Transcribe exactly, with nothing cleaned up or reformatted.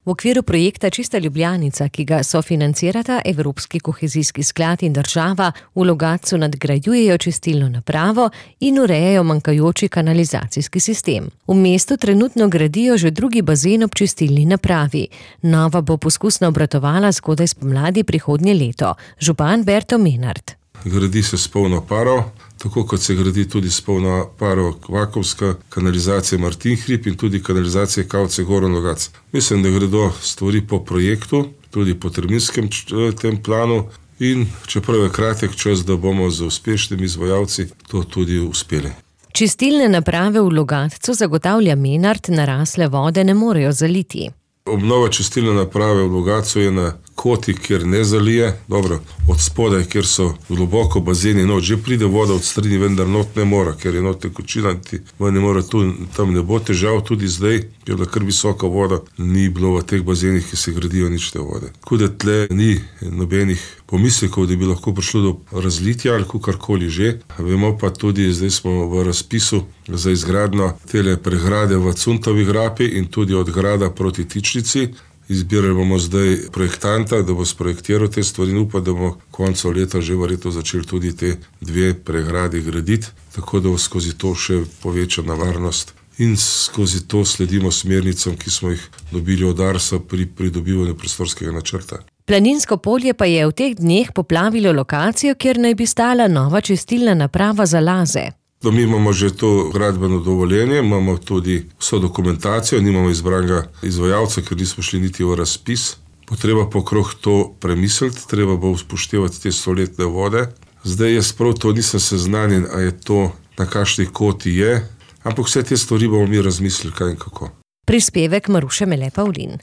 V okviru projekta Čista Ljubljanica, ki ga sofinancirata Evropski kohezijski sklad in država, v Logatcu nadgrajujejo čistilno napravo in urejajo manjkajoči kanalizacijski sistem. V mestu trenutno gradijo že drugi bazen ob čistilni napravi. Nova bo poskusno obratovala zgodaj spomladi prihodnje leto. Župan Berto Menard. Gradi se s polno paro, tako kot se gradi tudi s polno paro vakuumska kanalizacija Martin hrib in tudi kanalizacija Kavce Goran Logatc. Mislim, da gredo stvari po projektu, tudi po terminskem tem planu in čeprav je kratek čas, da bomo z uspešnimi izvajalci to tudi uspeli. Čistilne naprave v Logatcu, zagotavlja Menard, narasle vode ne morejo zaliti. Obnova čistilne naprave v Logatcu je na koti, kjer ne zalije. Dobro, od spodaj, kjer so globoko bazeni, not že pride voda od strani, vendar not ne mora, ker je not tekočina, ne mora tu, tam ne bo težav, tudi zdaj, ker je kar visoka voda, ni bilo v teh bazenih, ki se gradijo nič te vode. Tako da tle ni nobenih pomislekov, da bi lahko prišlo do razlitja ali karkoli že. Vemo pa tudi, zdaj smo v razpisu za izgradnjo tele pregrade v Cuntovi grapi in tudi od grada proti Tičnici. Izbirali bomo zdaj projektanta, da bo sprojektiral te stvari in upa, da bomo konco leta že verjetno začeli tudi te dve pregradi graditi, tako da bo skozi to še povečana varnost in skozi to sledimo smernicam, ki smo jih dobili od Arsa pri pridobivanju prostorskega načrta. Planinsko polje pa je v teh dneh poplavilo lokacijo, kjer naj bi stala nova čistilna naprava za laze. Mi imamo že to gradbeno dovoljenje, imamo tudi vso dokumentacijo, nimamo izbranega izvajalca, ker nismo šli niti v razpis. Potreba pokrog to premisliti, treba bo upoštevati te stoletne vode. Zdaj jaz prav to nisem seznanjen, a je to na kakšni koti je, ampak vse te stvari bomo mi razmislili, kaj in kako. Prispevek Maruše Mele Pavlin.